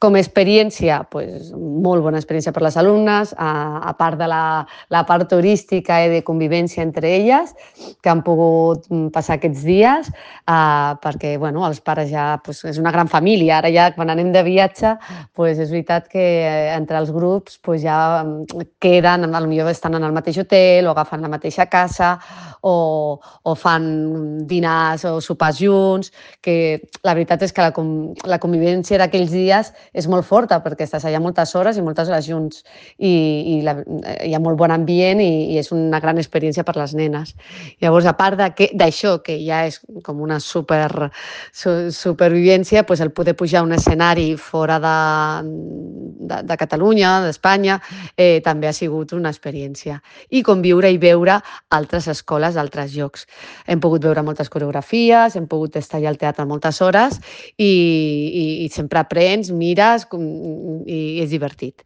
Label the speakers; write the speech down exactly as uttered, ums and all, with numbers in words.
Speaker 1: Com a experiència, pues, molt bona experiència per les alumnes, a, a part de la, la part turística i de convivència entre elles, que han pogut passar aquests dies, uh, perquè bueno, els pares ja, pues, és una gran família, ara ja quan anem de viatge, pues, és veritat que entre els grups pues, ja queden, potser estan en el mateix hotel o agafen la mateixa casa o, o fan dinars o sopars junts, que la veritat és que la, la convivència d'aquells dies és molt forta perquè estàs allà moltes hores i moltes hores junts i, i la, hi ha molt bon ambient i, i és una gran experiència per les nenes. Llavors, a part d'això, que ja és com una super, su, supervivència, pues el poder pujar a un escenari fora de, de, de Catalunya, d'Espanya, eh, també ha sigut una experiència. I conviure i veure altres escoles d'altres llocs. Hem pogut veure moltes coreografies, hem pogut estar allà al teatre moltes hores i, i, i sempre aprens, mires i és divertit.